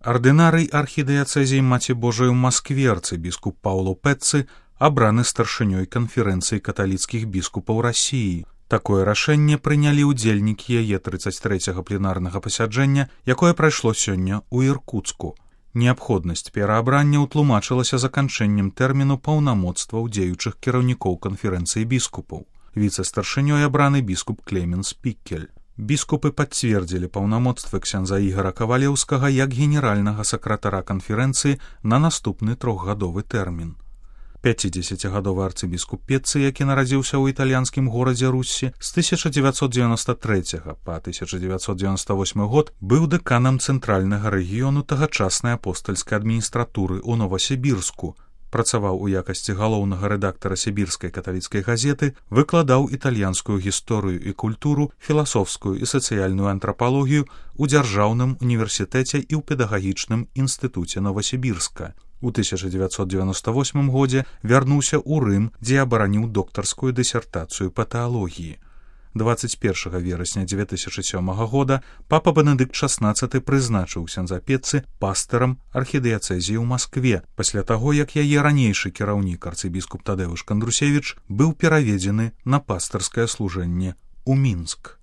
Ардынарый архідыяцэзіі Маці Божай у Маскве арцыбіскуп Паўло Пэццы абраны старшынёй канферэнцыі каталіцкіх біскупаў Расіі. Такое рашэнне прынялі ўдзельнікі яе 33-го пленарнага пасяджэння, якое прайшло сёння ў Іркуцку. Неабходнасць пераабрання ўтлумачылася заканчэннем тэрміну паўнамоцтваў дзеючых кіраўнікоў канферэнцыі біскупаў. Віцэ-старшынёй абраны біскуп Клеменс Піккель. Біскупы пацвердзілі паўнамоцтвы ксяндза Ігара Кавалеўскага як генеральнага сакратара канферэнцыі на наступны 3-гадовы тэрмін. 50-гадовы арцыбіскуп Пеццы, які нарадзіўся ў італьянскім горадзе Руссі з 1993 па 1998 год, быў дэканам цэнтральнага рэгіёну тагачаснай апостальскай адміністратуры ў Новасібірску, працаваў у якасці галоўнага рэдактара сібірскай каталіцкай газеты, выкладаў італьянскую гісторыю і культуру, філасофскую і сацыяльную антрапалогію ў дзяржаўным універсітэце і ў педагагічным інстытуце Новасібірска. У 1998 годзе вярнуўся ў Рым, дзе абараніў доктарскую дысертацыю па тэалогіі. 21 верасня 2007 года папа Бенедыкт XVI прызначыў ксяндза Пеццы пастарам архідыяцэзіі ў Маскве, пасля таго, як яе ранейшы кіраўнік арцыбіскуп Тадэвуш Кандрусевіч быў пераведзены на пастарскае служэнне ў Мінск.